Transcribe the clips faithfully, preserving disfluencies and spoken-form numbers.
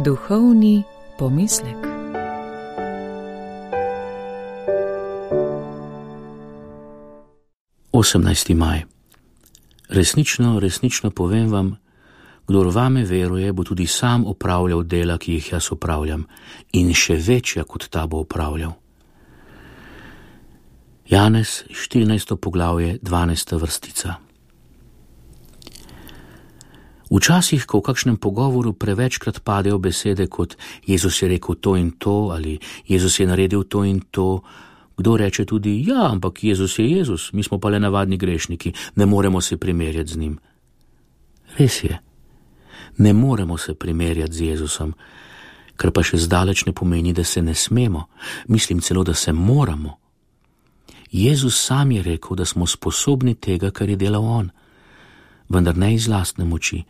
Duhovni pomislek. osemnajsti maj. Resnično, resnično povem vam, kdor vame veruje, bo tudi sam opravljal dela, ki jih jaz opravljam, in še večja kot ta bo opravljal. Janez, štirinajsto poglavje, dvanajsta vrstica. Včasih, ko v kakšnem pogovoru prevečkrat padejo besede kot Jezus je rekel to in to ali Jezus je naredil to in to, kdo reče tudi, ja, ampak Jezus je Jezus, mi smo pa le navadni grešniki, ne moremo se primerjati z njim. Res je, ne moremo se primerjati z Jezusom, kar pa še zdaleč ne pomeni, da se ne smemo, mislim celo, da se moramo. Jezus sam je rekel, da smo sposobni tega, kar je delal on, vendar ne iz lastne moči,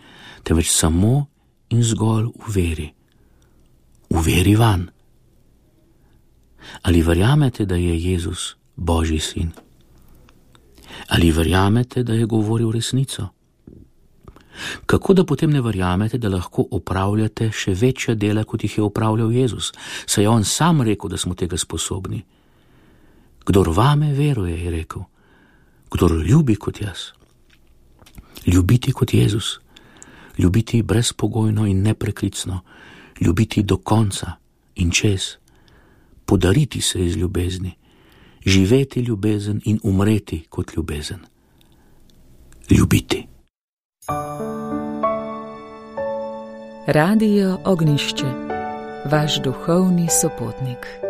temveč samo in zgolj v veri. V veri vanj. Ali verjamete, da je Jezus Božji sin? Ali verjamete, da je govoril resnico? Kako da potem ne verjamete, da lahko opravljate še večja dela, kot jih je opravljal Jezus, saj je on sam rekel, da smo tega sposobni? Kdor vame veruje, je rekel, kdor ljubi kot jaz. Ljubiti kot Jezus, ljubiti brezpogojno in nepreklicno, ljubiti do konca in čez, podariti se iz ljubezni, živeti ljubezen in umreti kot ljubezen. Ljubiti. Radio Ognjišče, vaš duhovni sopotnik.